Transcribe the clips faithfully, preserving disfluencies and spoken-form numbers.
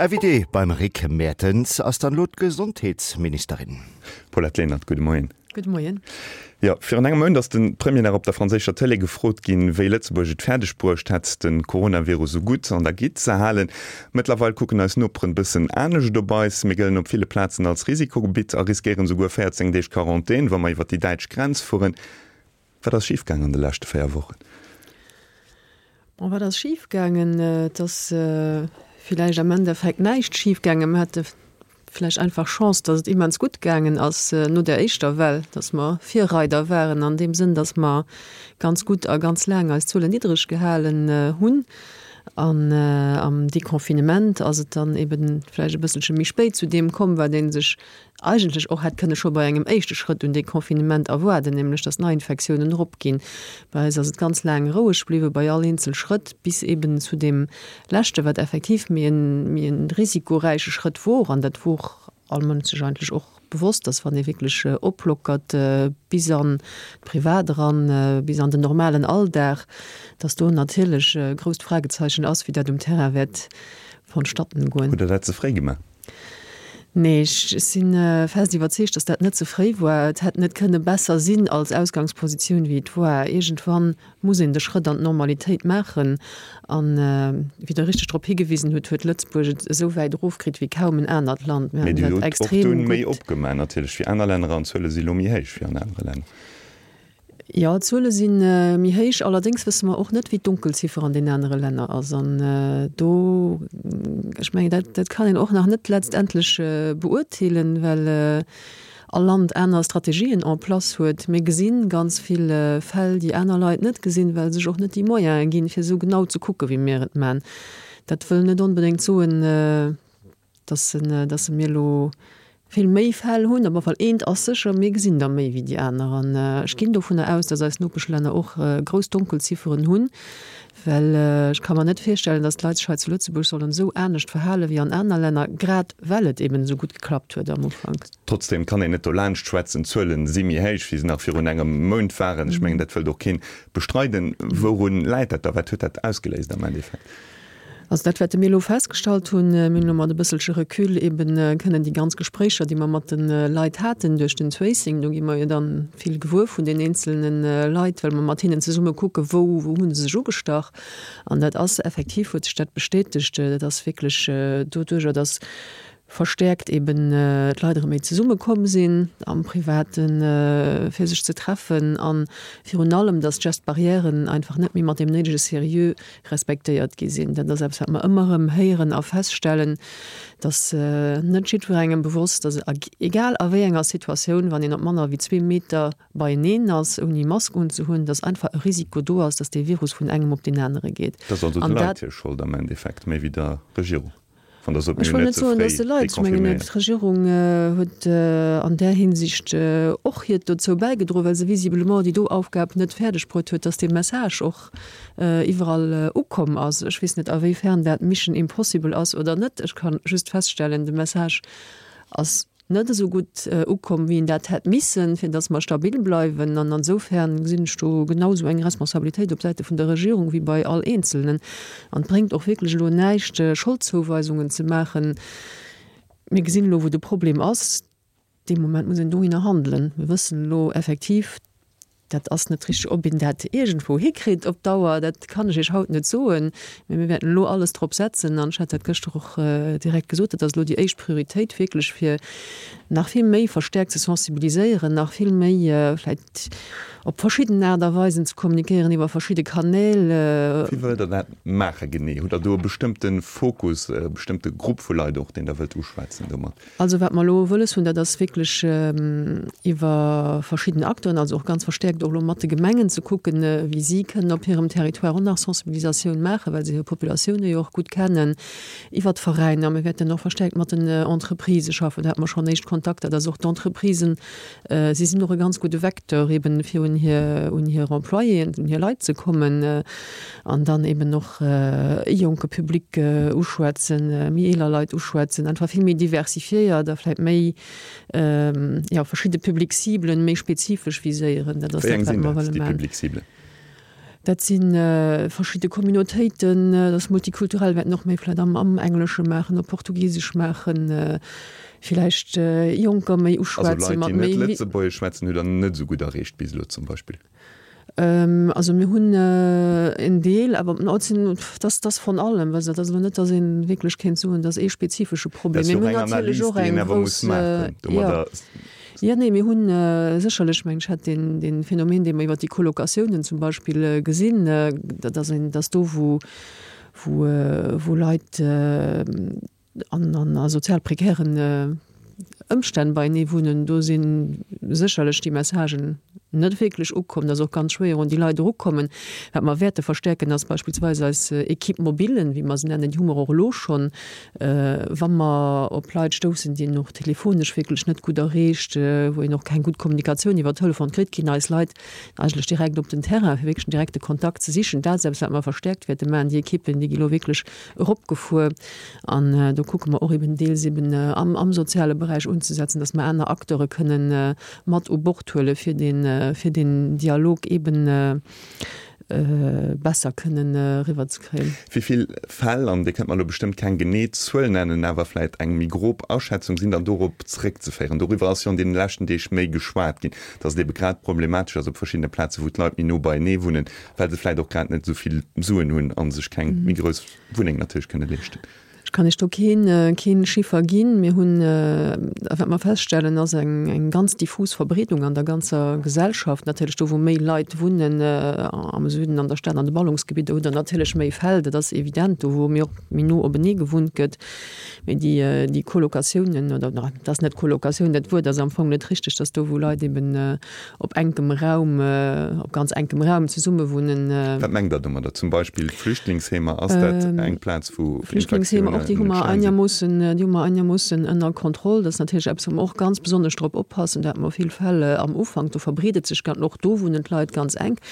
Invitée beim Rick Mertens ass dann elo d'Gesondheetsministerin. Paulette Lenert, gudde Moien. Gudde Moien. Jo, virun engem Mount ass de Premier nach op der franséischer Tëlee gefrot ginn, wéi Lëtzebuerg et fäerdeg bruecht hätt, de Coronavirus esou gutt an der Gitt ze halen. Mëttlerweil kucken eis Noperen bëssen anescht op eis. Mir gëllen op ville Plazen als Risikogebitt a riskéieren esouguer véierzéng Deeg Quarantän, wa mer iwwer déi däitsch Grenz fueren. Wat ass schif gaangen an de leschte véier Wochen? Bon, wat ass schif gaangen? Et ass villäicht am Endeffekt näischt schif gaangen. Mir hate vläicht einfach Chance, datt et immens gutt gaangen ass no där éischter Well, datt mer Virreider waren an deem Sënn, datt mer ganz gutt a ganz laang eis Zuelen niddreg gehalen hunn. An am Deconfinement ass et dann eben vläicht e bësselche méi spéit zu deem komm, wat ee sech eigentlech och hätt kënne scho bei engem éischte Schrëtt un Deconfinement erwaarden, nämlech datt d'Neiinfektiounen eropginn. Bei eis ass et ganz laang roueg bliwwe bei all eenzel Schrëtt, bis eben zu deem leschte, wat effektiv méi en, méi en risikoräiche Schrëtt wor. An dat wor all Mënsch sech eigentlech och bewosst, datt wann ee wierklech oplockert bis an d'Privat eran, bis an den normalen Alldag, datt do natierlech e grousst Fragezeichen ass, wéi dat um Terrain wäert vonstatten goen. Hutt Der dat ze fréi gemaach? Nee, ech si fest iwwerzeegt, datt dat net ze fréi war. Et hätt net kënne besser sinn als Ausgangspositioun, wéi et war. Iergendwann muss een de Schrëtt an d'Normalitéit maachen. An, wéi Der richteg drop higewisen hutt, huet Lëtzebuerg et esou wäit erofkritt wéi kaum en anert Land. Mir haten dat extrem gutt. Mee Dir hutt och dunn méi opgemaach natierlech wéi aner Länner an d'Zuele si lo méi héich wéi an anere Länner. Jo, d'Zuele si méi héich. Allerdéngs wësse mer och net, wéi d'Donkelziffer an den anere Länner ass. An do, ech mengen, dat, dat kann een och nach net letztendlech beurteelen, well all Land aner Strategien en place huet. Mir gesi ganz vill Fäll, déi aner Leit net gesinn, well se sech och net déi Moyene ginn, fir esou genau ze kucke wéi mir et man. Dat wëll net onbedéngt soen, dass dass mir elo vill méi Fäll hunn. Op alle Fall eent ass sécher, mir gesinn der méi wéi déi aner. An ech ginn dovunner aus, dass eis Nopeschlänner och grouss Donkelzifferen hunn, well ech ka mer net virstellen, dass d'Leit sech hei zu Lëtzebuerg sollen esou anescht verhale wéi an aner Länner, grad well et eben esou gutt geklappt huet am Ufank. Trotzdem kann een net dolaanscht schwätzen, d'Zuelen si méi héich, wéi se nach virun engem Mount waren. Ech mengen, dat wëllt och keen bestreiden. Wourun läit dat da? Wat huet dat ausgeléist am Endeffekt? Also dat, wat mir elo festgestallt hunn, mir hunn elo mat e bësselche Recul eben kënnen déi ganz Gespréicher, déi mer mat de Leit haten duerch den Tracing, do gi mer jo dann vill gewuer vun den eenzelne Leit, well mer mat hinnen zesumme kucke wou, wou hu se sech ugestach. An dat ass effektiv, huet sech dat bestätegt, dat ass wierklech doduerjer, datt verstäerkt eben d'Leit erëm méi zesumme komm sinn am Privaten, fir sech ze treffen a virun allem, datt d'Gestes barrièren einfach net méi mat deem néidege Seriö respektéiert gi sinn. Dat ass eppes, wat mer ëmmer erëm héieren a feststellen, datt net jiddwerengem bewosst ass, egal a wéi enger Situatioun, wann een op manner wéi zwee Meter beieneen ass, ouni Mask unzehunn, datt einfach e Risiko do ass, datt dee Virus vun engem op deen anere geet. Dat ass also de Leit hir Schold am Endeffekt, méi wéi der Regierung. Wann der sot, Ech mir hunn wëll net net ze soen, fréi datt de Leit, ech mengen, deconfinéiert. d'Regierung huet an där Hinsicht och hiert dozou bäigedroen, well se visiblement déi do Aufgab net fäerdeg bruet huet, datt dee Message och iwwerall ukomm ass. Ech weess net, awéifern dat Mission impossible ass oder net. Ech ka just feststellen, de Message ass net esou gutt ukomm, wéi en dat hätt missen, fir datt mer stabil bleiwen. An ansoufern gesinn ech do genau esou eng Responsabilitéit op Säite vun der Regierung wéi bei all Eenzelnen. An et bréngt och wierklech elo näischt, Scholdzouweisunge ze maachen. Mir gesinn elo, wou de Problem ass. Dee Moment muss een dohinner handelen. Mir wëssen elo effektiv, Dat ass net richteg. Ob een dat iergendwou hikritt op Dauer, dat kann ech Iech haut net soen. Mee mir wäerten elo alles drop setzen, an ech hat dat gëschter och direkt gesot, dat ass elo déi éischt Prioritéit wierklech, fir nach vill méi verstäerkt ze sensibiliséieren, nach vill méi vläicht op verschidden Aart a Weisen ze kommunikéieren, iwwer verschidde Kanäl. Wéi wëllt Der dat maache genee? Hutt Der do e bestëmmte Fokus, e bestëmmte Grupp vu Leit och, deen Der wëllt uschwätzen domat? Also wat mer elo wëlles hunn, dat ass wierklech iwwer verschidden Acteuren, also och ganz verstäerkt och elo mat de Gemengen ze kucken, wéi si kënnen op hirem Territoire och nach Sensibilisatioun maachen, well se hir Populatioune jo och gutt kennen, iwwer d'Veräiner. Mir wäerten och verstäerkt mat den Entreprisë schaffen, do hate mer schonn éischt Kontakter, dass och d'Entreprisen, si sinn och e ganz gudde Vecteur eben, fir un hir, un hir Employéen, un hir Leit ze kommen an dann eben och e jonke Public uschwätzen, méi eeler Leit uschwätzen, einfach vill méi diversifiéiert a vläicht méi, jo, verschidde Public-Ciblen méi spezifesch viséieren. Dat ass Wéi eng dat, wat sinn mer dat, wëlle déi maachen. Public-Ciblen? Dat si verschidde Communautéiten, dat ass multikulturell, wäerten och méi vläicht am am Englesche maachen, op Portugisesch maachen, villäicht Jonker méi Also uschwätzen Leit, mat déi net méi. Lëtzebuergesch schwätzen, hutt Der net esou gutt erreecht bis elo zum Beispill? Also mir hunn en Deel, awer et sinn, dat ass von allem, well dat ass elo net, datt ee wierklech kéint soen, dat ass ee spezifesche Dat Problem. ass Mee jo mir och hunn eng natierlech Analys, och déi een eng awer muss grouss, maachen. jo. Domadder. Jo, nee, mir hunn sécherlech, meng ech, hätt deen, dee Phänomen, dee mer iwwert déi Colocatiounen zum Beispill gesinn, dat ass een, dass do, wou, wou, wou Leit an, an a sozial prekären Ëmstänn beienee wunnen, do si sécherlech déi Messagen net wierklech ukomm. Dat ass och ganz schwéier, un déi Leit erukommen. Wat mer wäerte verstärken, ass beispillsweis eis Équipe mobile, wéi mer se nennen, déi hu mer och elo schonn, wa mer op Leit stoussen, déi een och telefonesch wierklech net gutt erreecht, wou een och keng gutt Kommunikatioun iwwer Telefon kritt, ginn eis Leit eigentlech direkt op den Terrain, fir wierklech den direkte Kontakt ze sichen. Dat ass eppes, wat mer verstärkt wäerte maachen. Déi Equippen, déi gi elo wierklech eropgefuer an do kucke mer och eben deels eben am am soziale Beräich unzesetzen, dass mer aner Acteure kënnen mat u Bord huele fir deen fir deen Dialog eben besser kënnen eriwwerzekréien. Wéi vill Fäll, an Dir kënnt mer elo bestëmmt keng genee Zuel nennen, awer vläicht eng méi grob Aschätzung, sinn dann dorop zeréckzeféieren? Doriwwer ass jo an deene leschten Deeg méi geschwat ginn, dass et ebe grad problematesch ass op verschiddene Plazen, wou d'Leit méi no beienee wunnen, well se vläicht och grad net esou vill Suen hunn a sech keng méi grouss Wunneng natierlech kënne leeschten. Ech kann Iech do keen, keen Chiffer ginn. Mir hunn, a wat mer feststellen, ass eng, eng ganz diffus Verbreedung an der ganzer Gesellschaft. Natierlech do, wou méi Leit wunnen, am Süden, an der Stad, an de Ballungsgebidder, hutt Der natierlech méi Fäll, dat ass evident, do wou méi och méi no openee gewunnt gëtt. Mee déi, déi Colocatiounen, oder dat ass net Colocatioun, dat Wuert ass am Fong net richteg, dass do, wou Leit eben op enkem Raum, op ganz enkem Raum zesummewunnen. Wat mengt Der domadder? Zum Beispill Flüchtlingsheemer, ass dat eng Plaz, wou Flüchtlingsheemer, och déi hu mer einermoossen, déi hu mer einermoossen ënner Kontroll. Dat ass natierlech eppes, wou mer och ganz besonnesch drop oppassen. Do hate mer vill Fäll am Ufank, do verbreet et sech ganz, och do wunnen d'Leit ganz enk.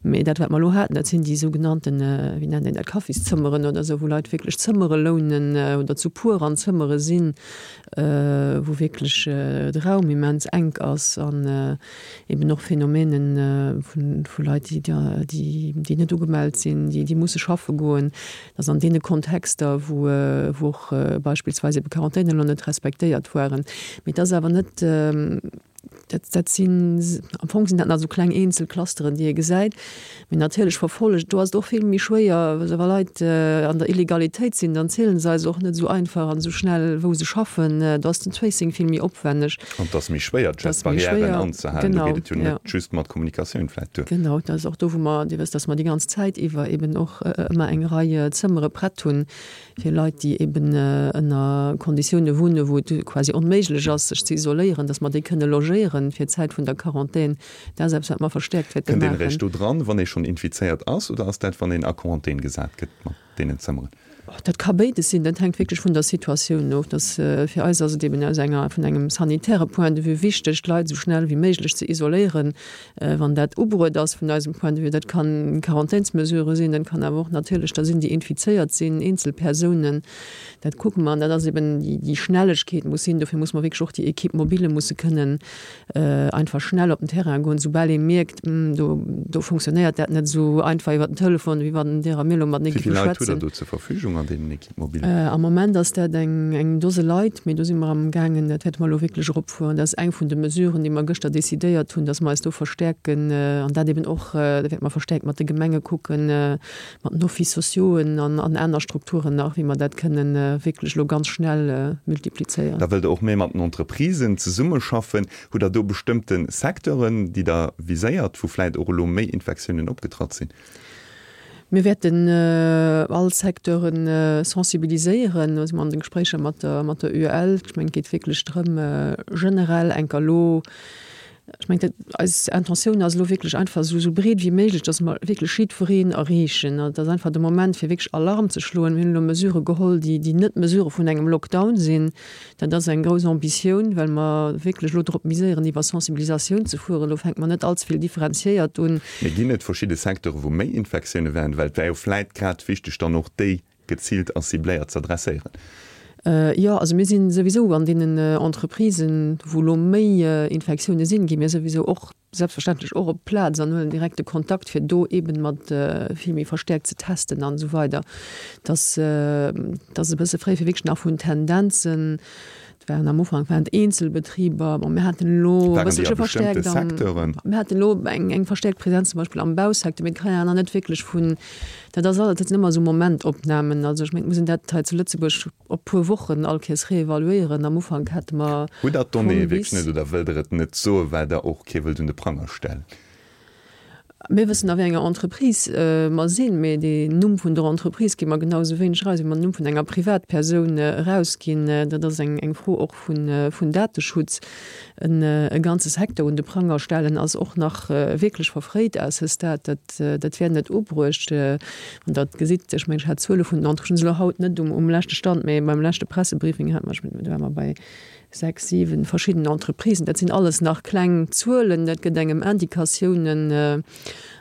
Mee dat, wat mer elo haten, dat sinn déi sougenannten, wéi nennt een dat, Kaffiszëmmeren oder esou, wou Leit wierklech Zëmmere lounen oder zu puer an Zëmmere sinn, wou wierklech de Raum immens enk ass an eben och Phänomenen vu Leit, déi déi net ugemellt sinn, déi déi musse schaffe goen, dass an deene Kontexter, wou wou och beispillsweis ebe Quarantänen elo net respektéiert waren. Mee et ass awer net, dat dat sinn, am Fong sinn dat nach esou kleng eenzel Clusteren, déi ee gesäit. Mee natierlech verfollegt, do ass et och vill méi schwéier, wa Leit an der Illegalitéit sinn, dann ziele se eis och net esou einfach an esou schnell, wou se schaffen. Do ass den Tracing vill méi opwänneg. An et ass méi schwéier, d'Gestbarrièren anzehalen. Do geet et jo net just mat Kommunikatioun vläicht duer. Genau, dat ass och do, wou mer, Dir wësst, dass mer déi ganz Zäit iwwer eben och ëmmer eng Rei Zëmmere prett hunn, fir Leit, déi eben ënner Konditioune wunnen, wou et quasi onméiglech ass, sech ze isoléieren, dass mer déi kënne logéieren fir d'Zäit vun der Quarantän. Dat ass eppes, wat mer verstäerkt wäerte Kënnt een maachen. eréischt do dran, wann ee schonn infizéiert ass, oder ass dat, wann een a Quarantän gesat gëtt mat deenen Zëmmeren? Dat ka béides sinn, dat hänkt wierklech vun der Situatioun of. Dass, fir eis ass et eben aus enger, vun engem sanitäre Point de vue wichteg, d'Leit esou schnell wéi méiglech ze isoléieren, wann dat ubruet ass vun eisem Point de vue. Dat kann Quarantänsmesure sinn, dat kann awer och natierlech der sinn, déi infizéiert sinn, eenzel Persounen. Dat kucke mer an dat ass eben déi, déi Schnellegkeet muss sinn. Dofir muss mer wierklech och déi Équipe mobile musse kënnen einfach schnell op den Terrain goen, soubal ee mierkt, do, do funktionéiert dat net esou einfach iwwer den Telefon, wéi wann Dir a mir elo matenee Wéi géife vill Leit hutt Der schwätzen. do zur Verfügung an deenen Équipe mobilen? Am Moment ass dat eng, eng Dose Leit, mee do si mer amgaangen, dat wäerte mer elo wierklech eropfueren. Dat ass eng vun de Mesuren, déi mer gëschter decidéiert hunn, dass mer eis do verstäerken an dat eben och, da wäerte mer verstäerkt mat de Gemenge kucken, mat den Offices sociauxen an, an aner Strukturen nach, wéi mer dat kënnen wierklech elo ganz schnell multiplizéieren. Da wëllt Der och méi mat den Entreprisen zesummeschaffen. Hutt Der do bestëmmte Secteuren, déi Der viséiert, wou vläicht och elo méi Infektiounen opgetratt sinn? Mir wäerten all Secteure sensibiliséieren. Do si mer an de Gespréicher mat der, mat der UEL. Ech mengen, et geet wierklech drëm, generell enker elo, ech mengen, dat, eis Intentioun ass elo wierklech einfach esou, esou breet wéi méiglech, dass mer wierklech jiddwereen erreechen. Et ass einfach de Moment, fir wierklech Alarm ze schloen. Mir hunn elo Mesurë geholl, déi, déi net Mesurë vun engem Lockdown sinn. Dat ass eng grouss Ambitioun, well mer wierklech elo drop miséieren, iwwer Sensibilisatioun ze fueren. Elo fänke mer net allze vill differenziéiert un. Mee ginn et verschidde Secteure wou méi Infektioune wären? Well et wär jo vläit grad wichteg, dann och déi geziilt a cibléiert z'adresséieren. Jo, also mir si souwisou an deenen Entreprisen, wou elo méi Infektioune sinn, gi mir souwisou och selbstverständlech och op d'Plaz an huelen direkte Kontakt, fir do eeben mat vill méi verstäerkt ze testen an esou weider. Dass ass e bësse fréi, fir wierklech nach vun Tendenzen, et waren am Ufank waren et Eenzelbetriber, bon, mir haten elo e bësselche verstäerkt am, mir haten elo eng eng verstäerkt Presenz zum Beispill am Bausecteur, mee et kann een awer nach net wierklech vun, dat ass alles, dat sinn ëmmer esou Momentopnamen. Also ech mengen, et muss een dat hei zu Lëtzebuerg op puer Wochen all Kéiers reevaluéieren. Am Ufank hate mer Hutt Der vun d'Donnéeë wierklech bis. net oder wëllt Der et net soen, well Der och kee wëllt un de Pranger stellen? Mir wëssen, a wéi enger Entreprise mer sinn, mee den Numm vun der Entreprise gi mer genau esou wéineg eraus, wéi mer den Numm vun enger Privatpersoun erausginn. Dat ass eng Fro och vun Dateschutz. E ganze Secteur un de Pranger stellen ass och nach wierklech verfréit à ce stade. Dat wär net ubruecht. Wann Der et gesitt, ech mengen, ech hat d'Zuele vun den Entreprisen elo haut net um leschte Stand, mee beim leschte Pressebriefing hate mer, ech mengen, do ware mer bei sechs, siwen verschidden Entreprisen. Dat sinn alles nach kleng Zuelen, dat gëtt engem Indikatiounen.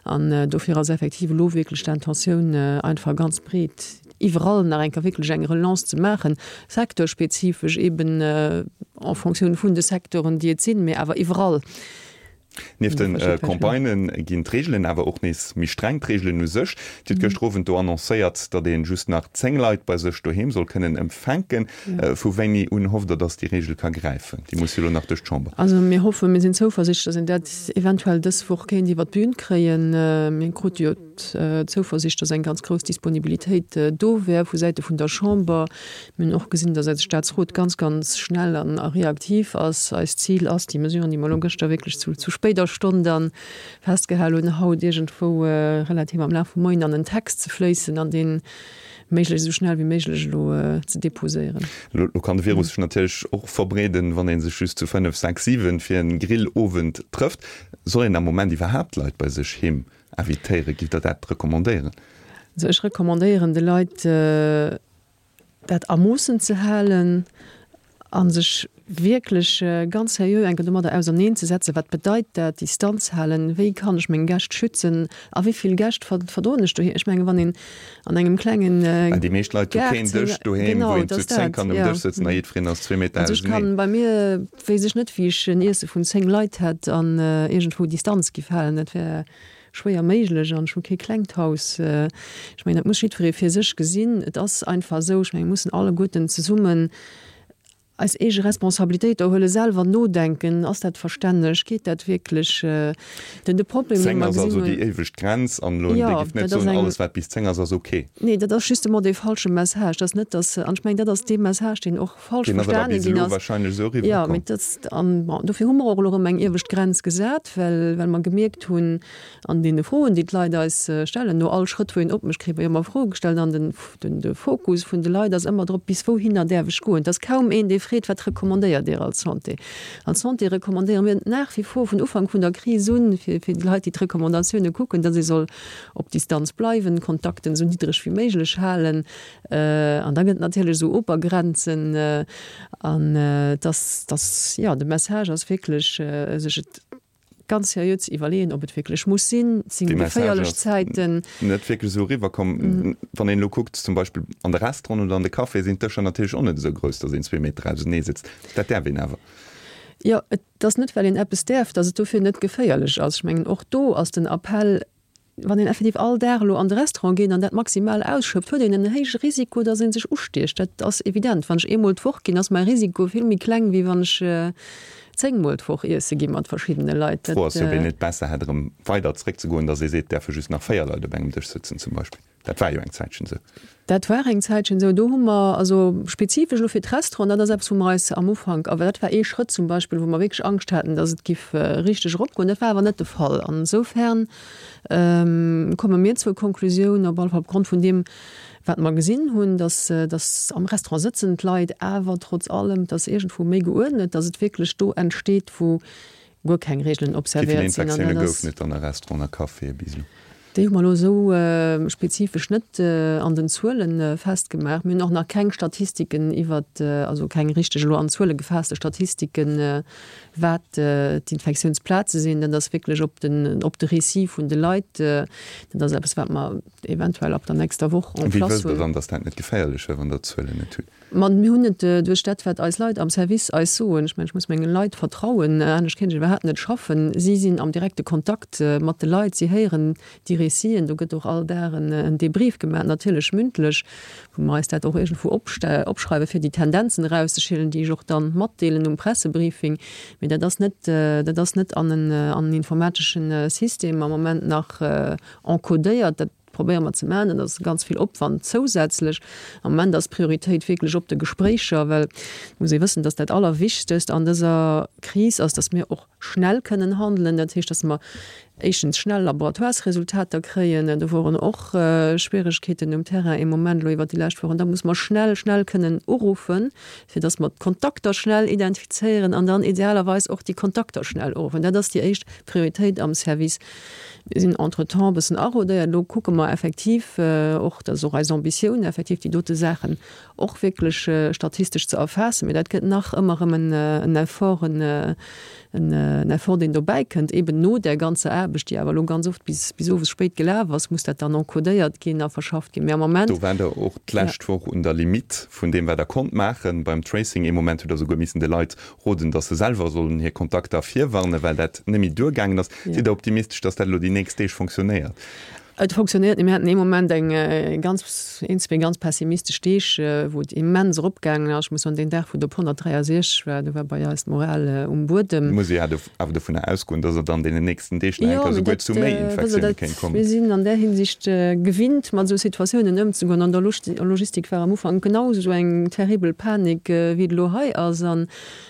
An dofir ass effektiv elo wierklech d'Intentioun, einfach ganz breet iwwerall nach eng Kéier wierklech eng Relance ze maachen, secteurspezifesch eben en Fonctioun vun de Secteuren, déi et sinn, mee awer iwwerall. Nieft de Campagnë ginn d'Reegelen awer och nees méi streng. D'Reegelen u sech. Dir hutt gëschter Owend do annoncéiert, datt ee just nach zéng Leit bei sech doheem soll kënnen empfänken. Vu wéini un hofft Der, datt déi Reegel ka gräifen? Déi muss jo elo nach duerch d'Chamber. Also mir hoffen, mir sinn zouversichtlech, datt een dat eventuell dës Woch kéint iwwer d'Bün kréien. Mir krute jo d'Zouversicht, datt eng ganz grouss Disponibilitéit do wär vu Säite vun der Chamber. Mir hunn och gesinn, datt eise Statsrot ganz, ganz schnell an a reaktiv ass. Eist Zil ass, déi Mesuren, déi mer elo gëschter wierklech zu zu spéider Stonn da festgehal hunn, haut iergendwou relativ am Laf vum Moien an en Text ze fléissen an dee méiglechst esou schnell wéi méiglech elo ze déposéieren. Elo kann de Virus sech natierlech och verbreeden, wann ee sech just zu fënnef, sechs, siwen fir en Grillowend trëfft. Soll een am Moment iwwerhaapt Leit bei sech heem invitéieren? Gitt Der dat recommandéieren? Also ech recommandéieren de Leit, dat a Moossen ze halen a sech wierklech ganz seriö eng Kéier domadder auserneenzesetzen, Wat bedeit dat, Distanz halen? Wéi kann ech meng Gäscht schützen? A wéi vill Gäscht verdroen ech doheem? Ech mengen, wann een an engem klengen Well déi meescht Leit hu Gaart, keen Dësch doheem, wou genau, een et zu ass zéng dat, kann um jo. Dësch sëtzen a jiddwereen ass zwee Meter Also ech auseneen. kann bei mir, weess ech net, wéi ech en Iesse vun zéng Leit hätt an iergendwou Distanz giff halen. Dat wär schwéier méiglech an ech hu kee klengt Haus. Ech mengen, dat muss jiddweree fir sech gesinn. Et ass einfach esou, ech mengen, mir mussen alleguerten zesummen eis eege Responsabilitéit do huelen, selwer nodenken, ass dat verstänneg, geet dat wierklech? Den de Problem, dee Zéng mer ass gesinn also hunn. déi éiwegt Grenz an elo, Dir Jo, gift net dat ass soen, eng. alles wat bis zéng ass, ass ok. Nee, dat ass justement dee falsche Message. Dat ass net, dass, an ech mengen, dat ass dee Message, deen och falsch Deen ass awer verstane bis ginn elo ass. wahrscheinlech esou Jo, eriwwerkomm. mee dat, an bon, dofir hu mer och elo erëm eng iewescht Grenz gesat, well, well mer gemierkt hunn an deene Froen, déi d'Leit eis stellen, no all Schrëtt, wou een opmécht, kritt mer jo ëmmer Froe gestallt an den, den, de Fokus vun de Leit ass ëmmer drop, bis wouhinner däerf ech goen. Et ass kaum een, dee freet, Wat recommandéiert Dir als Santé? Als Santé recommandéiere mir nach wie vor vun Ufank vun der Kris un, fir, fir déi Leit, déi d'Recommandatioune kucken, datt ee soll op Distanz bleiwen, Kontakten esou niddreg wéi méiglech halen. An da gëtt et natierlech esou Obergrenzen. An et ass, et ass, jo, de Message ass wierklech, sech et ganz seriö ze iwwerleeën, ob et wierklech muss sinn. Et sinn Dee Message geféierlech ass Zäiten. net wierklech esou eriwwerkomm. Wann een elo kuckt, zum Beispill an de Restauranten oder an de Caféë sinn d'Dëscher natierlech och net esou grouss, datt een zwee Meter ausenee sëtzt. Dat däerf een awer. Jo, et ass net, well een eppes däerf, datt et dofir net geféierlech ass. Ech mengen, och do ass den Appell, wann een effektiv all Dag elo an de Restaurant geet an dat maximal ausschöpft, huet een en héije Risiko, datt ee sech ustiecht. Dat ass evident. Wann ech eemol d'Woch ginn, ass mäi Risiko vill méi kleng, wéi wann ech zéngmol d'Woch iesse gi mat verschiddene Leit. D'Fro Dat. ass jo, ob een net besser hätt, erëm weider zeréckzegoen, datt ee seet, et däerfe just nach véier Leit op engem Dësch sëtzen zum Beispill. Dat war jo eng Zäitchen esou. Dat war eng Zäitchen esou. Do hu mer, also spezifesch elo fir d'Restauranten, dat ass eppes, wou mer eis am Ufank, awer dat war ee Schrëtt zum Beispill, wou mer wierklech Angscht haten, datt et giff richteg eropgoen. Dat war awer net de Fall. An esoufern komme mir zur Konklusioun, op alle Fall opgrond vun deem, wat mer gesinn hunn, datt, datt am Restaurant sëtzen d'Leit awer trotz allem, et ass iergendwou méi geuerdnet, datt et wierklech do entsteet, wou guer keng Regeln Wéi vill observéiert sinn. An Infektioune dat ass. goufen et dann a Restauranten a Caféë bis elo? Déi hu mer elo esou spezifesch net an den Zuele festgemaach. Mir hunn och nach keng Statistiken iwwert, also keng richteg elo an Zuele gefaasste Statistiken, wat d'Infektiounsplaze sinn. Dat ass wierklech op den, op de Récit vun de Leit. Dat ass eppes, wat mer eventuell ab der nächster Woch en Wéi place wësst Der hunn. dann, datt dat net geféierlech wär, wann Der d'Zuelen net hutt? Ma mir hunn et duerch dat, wat eis Leit am Service eis soen. Ech mengen, ech muss menge Leit vertrauen, anescht kéint ech iwwerhaapt net schaffen. Si sinn am direkte Kontakt mat de Leit, si héieren déi Réciten. Do gëtt och all Dag en Debrief gemaach, natierlech mündlech, wou mer eis dat och iergendwou opschreiwen, fir déi Tendenzen erauszeschillen, déi ech och dann matdeelen um Pressebriefing. Mee dat ass net, dat ass net an en informatesche System am Moment nach encodéiert. Dat probéiere mer ze maachen. Dat ass ganz vill Opwand zousätzlech. Am Moment ass d'Prioritéit wierklech op de Gespréicher, well et muss ee wëssen, dass dat Allerwichtegst an dëser Kris ass, dass mir och schnell kënnen handelen. Dat heescht, dass mer éischtens schnell Laboratoiresresultater kréien. Do woren och Schwieregkeeten um Terrain ee Moment elo iwwert déi lescht Wochen. Da muss mer schnell, schnell kënnen uruffen, fir dass mer d'Kontakter schnell identifizéieren an dann idealerweis och déi Kontakter schnell uruffen. Dat ass déi éischt Prioritéit am Service. Mir sinn entretemps e bëssen arodéiert. Elo kucke mer effektiv och, dat ass och eis Ambitioun, effektiv déi dote Saachen och wierklech statistesch ze erfaassen. Mee dat gëtt nach ëmmer erëm en Effort, en Effort, deen dobäi kënnt, eben no där ganzer Aarbecht, déi awer elo ganz oft bis bis owes spéit gelaf ass, muss dat dann encodéiert ginn a verschafft ginn. Mee am Moment. Do waart Der och d'lescht Woch un der Limitt vun deem, wat Der konnt maachen beim Tracing. Ee Moment hutt Der souguer missen de Leit roden, datt se selwer sollen hir Kontakter virwarnen, well dat net méi duergaangen ass. Sidd Der optimistesch, datt dat elo déi nächst Deeg fonctionnéiert? Et fonctionnéiert net. Mir haten ee Moment eng ganz, een, zwee ganz pessimistesch Deeg, wou et immens eropgaangen ass. Ech muss soen, deen Dag, wou et op honnertdräiasechzeg war, do war bei eis d'Moral um Buedem. Muss ee jo awer dovunner ausgoen, datt et an deenen nächsten Deeg nach eng Jo, Kéier mee souguer dat, zu méi wësst Der, Infektioune dat, kéint kommen. mir sinn an där Hinsicht gewinnt, mat esou Situatiounen ëmzegoen. An der Logistik war am Ufank genau esou eng terribel Panik, wéi et elo hei ass. An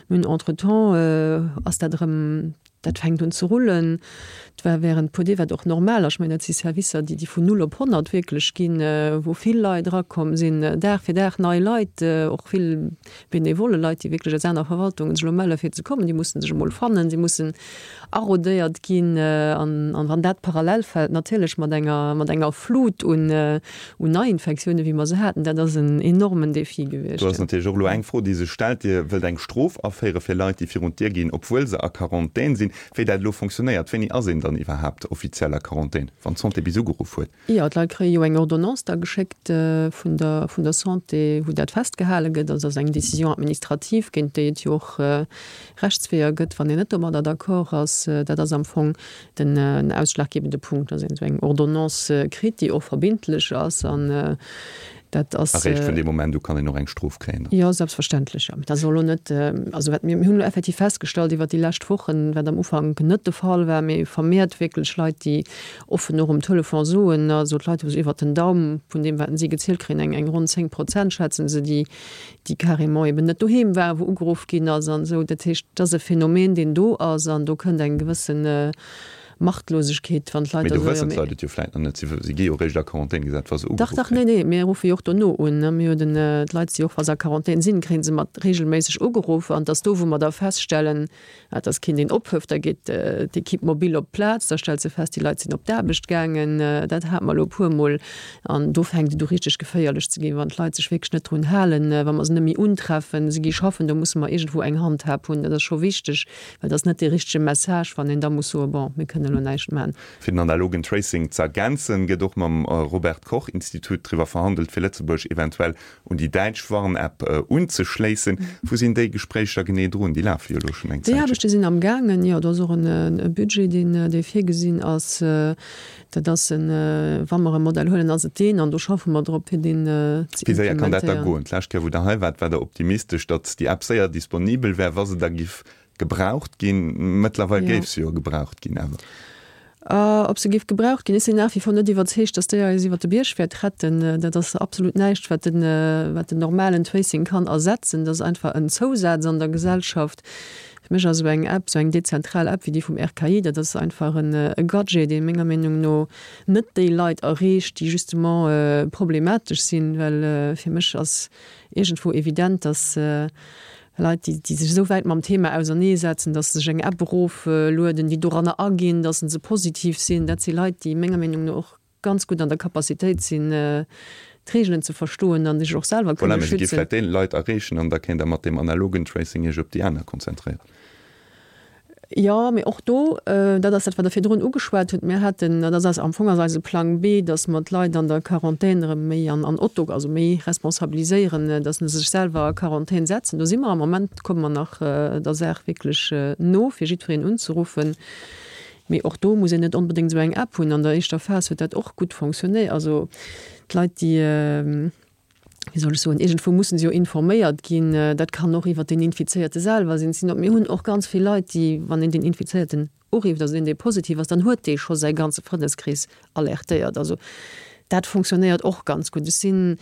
mir hunn entretemps ass dat erëm, dat fänkt un ze rullen. Et war während puer Deeg, wat och normal ass, ech mengen, dat si Servicer, déi, déi vun null op honnert wierklech ginn, wou vill Leit erakomm sinn, Dag fir Dag nei Leit, och vill benevole Leit, déi wierklech aus aner Verwaltungen sech elo melle fir ze kommen. Déi mussen sech emol fannen, si mussen arodéiert ginn. An, an wann dat parallel fält natierlech mat enger, mat enger Flut un, un Neiinfektiounen, wéi mer se haten, dat ass en enormen Défi Do gewiescht. ass natierlech och elo eng Fro, déi sech stellt, Dir wëllt eng Strof aféiere fir Leit, déi virun d'Dier ginn, obwuel se a Quarantän sinn. Wéi dat elo fonctionnéiert, wéini ass een dann iwwerhaapt offiziell a Quarantän, wann d'Santé bis ugeruff huet? Jo, d'Leit kréie jo eng Ordonnance da geschéckt vun der, vun der Santé, wou dat festgehale gëtt. Also dat ass eng Décision administrative, géint déi et jo och Rechtsweeër gëtt, wann een net domadder d'accord ass. Dat ass am Fong den ausschlaggebende Punkt, dass een esou eng Ordonnance kritt, déi och verbindlech ass. An dat ass. Eréischt vun deem Moment u kann een och eng Strof kréien dann? Jo, selbstverständlech, jo. Dat soll elo net, also wat mir, mir hunn elo effektiv festgestallt iwwert déi lescht Wochen, wat am Ufank net de Fall war, mee vermehrt wierklech Leit, déi offen och um Telefon soen, also d'Leit hu sech iwwert den Daum vun deem, wat si gezielt kréien, eng, eng ronn zéng Prozent schätzen se, déi, déi carrément eben net doheem waren, wou ugeruff ginn ass an esou. Dat heescht, dat ass e Phänomen, deen do ass an do kënnt eng gewëssen Machtlosegkeet, wann d'Leit Mee da do soen, jo wëssen mee. d'Leit et jo vläit nach net. Si, si gi jo eréischt a Quarantän gesat, wa se Dach, ugeruff dach, nee, kréien. nee, mir ruffe jo och dono un, ne. Mir hu den, d'Leit si och, wa se a Quarantän sinn, kréie se mat regelméisseg ugeruff. An et ass do, wou mer da feststellen, et ass keen, deen ophëft, da geet d'Équipe mobile op d'Plaz, da stellt se fest, déi Leit sinn op d'Aarbecht gaangen. Dat hate mer elo e puermol. An do fänkt et u richteg geféierlech ze ginn, wann d'Leit sech wierklech net drun halen, wa mer se net méi untreffen, se gi schaffen, do musse mer iergendwou eng Handhab hunn. Dat ass scho wichteg, well et ass net dee richtege Message, wann een da muss soen, bon, mir kënnen elo näischt man. Fir den analogen Tracing ze ergänzen, gëtt och mam Robert Koch Institut driwwer verhandelt, fir Lëtzebuerg eventuell un déi däitsch Warn-App unzeschléissen. Wou sinn déi Gespréicher genee drun? Déi lafe jo elo schonn eng Déi Zäitchen. Aarbechte sinn am gaangen, jo. Do ass och e Budget, deen, dee virgesinn ass. Dat ass en, wa mer e Modell huelen, ass et deen, an do schaffe mer drop, fir deen ze Wéi séier kann dat da implementéieren. goen? D'lescht Kéier, wou Der hei waart, war Der optimistesch, datt déi App séier disponibel wär, wa se da giff gebraucht ginn. Mëttlerweil Jo. géif se jo gebraucht ginn, awer. Ob se géif gebraucht ginn? Ech sinn nach wie vor net iwwerzeegt, datt déi eis iwwer de Bierg wäert retten. Dat ass absolut näischt, wat den, wat den normalen Tracing kann ersetzen. Dat ass einfach en Zousaz an der Gesellschaft. Fir mech ass esou eng App, esou eng dezentral App wéi déi vum R K I, dat ass einfach en e Gadget, dee menger Meenung no net déi Leit erreecht, déi justement problematesch sinn, well fir mech ass iergendwou evident, datt Leit, déi, déi sech esou wäit mam Thema auserneesetzen, dass se sech eng App eroflueden, déi doranner aginn, dass se positiv sinn, dat si Leit, déi menger Meenung no och ganz gutt an der Capacitéit sinn, d'Reegelen ze verstoen an sech och selwer kënne schützen. Voilà, mä se gi vläicht déi Leit erreechen an da kéint Der mat deem analogen Tracing Iech op déi aner konzentréieren. Jo, mee och do, dat ass dat, wat Der virdrun ugeschwat hutt, mir haten, dat ass am Fong ass eise Plang B, dass mer d'Leit an der Quarantän erëm méi an an Otto, also méi responsabiliséieren, dass se sech selwer a Quarantän setzen. Do si mer am Moment, komme mer nach der Saach wierklech no, fir jiddwereen unzeruffen. Mee och do muss een net onbedéngt esou eng App hunn. An der éischter Phas huet dat och gutt fonctionnéiert. Also d'Leit, déi, wéi soll ech soen, iergendwou mussen se jo informéiert ginn. Dat kann och iwwert deen Infizéierte selwer sinn. Sinon, mir hunn och ganz vill Leit, déi, wann een den Infizéierten urifft, also deen, dee positiv ass, dann huet dee scho säi ganze Frëndeskrees alertéiert. Also dat fonctionnéiert och ganz gutt. Ech sinn,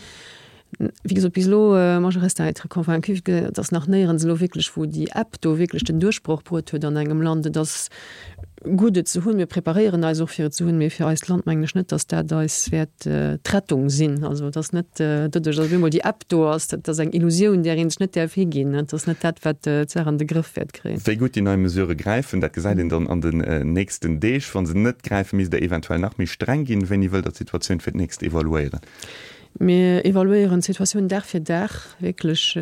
wéi gesot, bis elo, moi je reste à être convaincue, et ass nach néierens elo wierklech, wou déi App do wierklech den Duerchbroch bruet huet an engem Land. Et ass gutt et ze hunn, mir preparéieren eis och fir et ze hunn, mee fir eist Land mengen ech net, datt dat eis wäert d'Rettung sinn. Also et ass net doduerch, datt op eemol déi App do ass, dat ass eng Illusioun, där ee sech net däerf higinn. Et ass net dat, wat d'Saach an de Grëff wäert kréien. Wéi gutt déi nei Mesurë gräifen, dat gesäit een dann an den nächsten Deeg. Wa se net gräifen, misst Der eventuell nach méi streng ginn. Wéini wëllt Der d'Situatioun fir d'nächst evaluéieren? Mir evaluéieren d'Situatioun Dag fir Dag, wierklech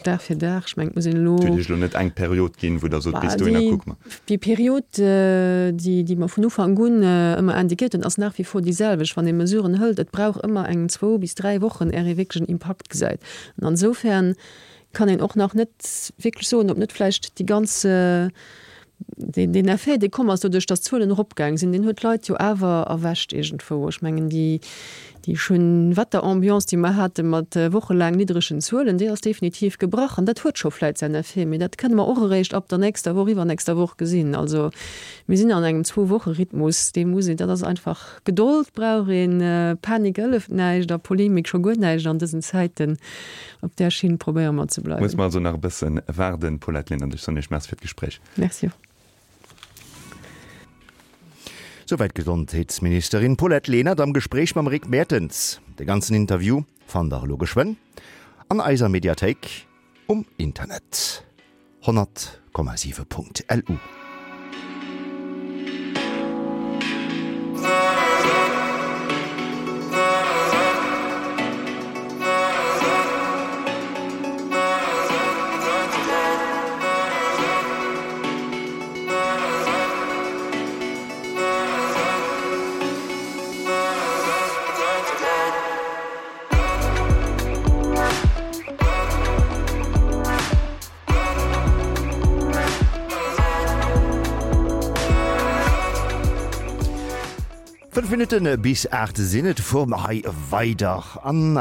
Dag fir Dag. Ech mengen, et muss een elo. Et huet Iech elo net eng Period ginn, wou Der sot, bis dohinner kucke mer. Déi Period, déi, déi mer vun Ufank un ëmmer indiquéiert hunn, ass nach wie vor déi selwecht. Wann ee Mesuren hëlt, et brauch ëmmer eng zwou bis dräi Wochen, är ee wierklech en Impakt gesäit. An insofern kann een och nach net wierklech soen, ob net vläicht déi ganz, deen, deen Effet, dee komm ass doduerch, datt d'Zuelen eropgaang sinn, deen huet d'Leit jo awer erwächt iergendwou. Ech mengen, déi, déi Schönwetterambiance, déi mer hate mat wochelaang niddregen Zuelen, déi ass definitiv gebrach. An dat huet scho vläicht säin Effet, mee dat kënne mer och eréischt ab der nächster Woch, iwwernächster Woch gesinn. Also mir sinn an engem Zwou-Woche-Rhythmus, dee muss een, dat ass einfach, Gedold brauch een, Panik hëlleft näischt a Polemik scho guer näischt an dësen Zäiten. Op där Schinn probéiere mer ze bleiwen. Musse mer also nach e bësse waarden. Paulette Lenert, ech soen Iech Merci fir d'Gespréich. Merci och. Souwäit d'Gesondheetsministerin Paulette Lenert am Gespréich mam Rick Mertens. De ganzen Interview fannt der elo geschwënn an eiser Mediathéik um Internet, honnert Komma siwe Punkt lu. Fënnef Minutte bis aacht sinn et. Fuere mer hei weider an